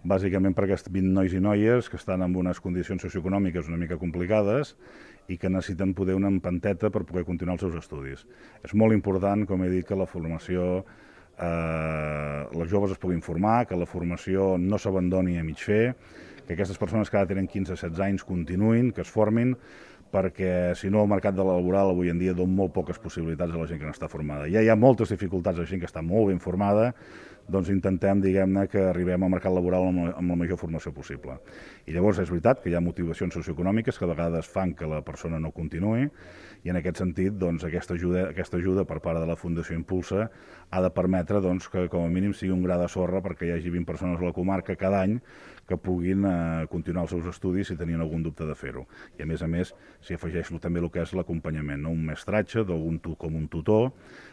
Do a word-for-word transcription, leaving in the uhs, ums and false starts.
bàsicament per aquests vint nois i noies que estan en unes condicions socioeconòmiques una mica complicades i que necessiten poder una empanteta per poder continuar els seus estudis. És molt important, com he dit, que la formació, eh, els joves es puguin formar, que la formació no s'abandoni a mig fer, que aquestes persones que ara tenen quinze a setze anys continuïn, que es formin, perquè si no el mercat de la laboral avui en dia dona molt poques possibilitats a la gent que no està formada. Ja hi ha moltes dificultats a la gent que està molt ben formada, doncs intentem, diguem-ne, que arribem al mercat laboral amb la major formació possible. I llavors és veritat que hi ha motivacions socioeconòmiques que a vegades fan que la persona no continuï, i en aquest sentit doncs, aquesta, ajuda, aquesta ajuda per part de la Fundació Impulsa ha de permetre doncs, que com a mínim sigui un gra de sorra perquè hi hagi vint persones a la comarca cada any que puguin eh, continuar els seus estudis si tenien algun dubte de fer-ho. I a més a més s'hi afegeix també el que és l'acompanyament, no? Un mestratge d'algun tu, com un tutor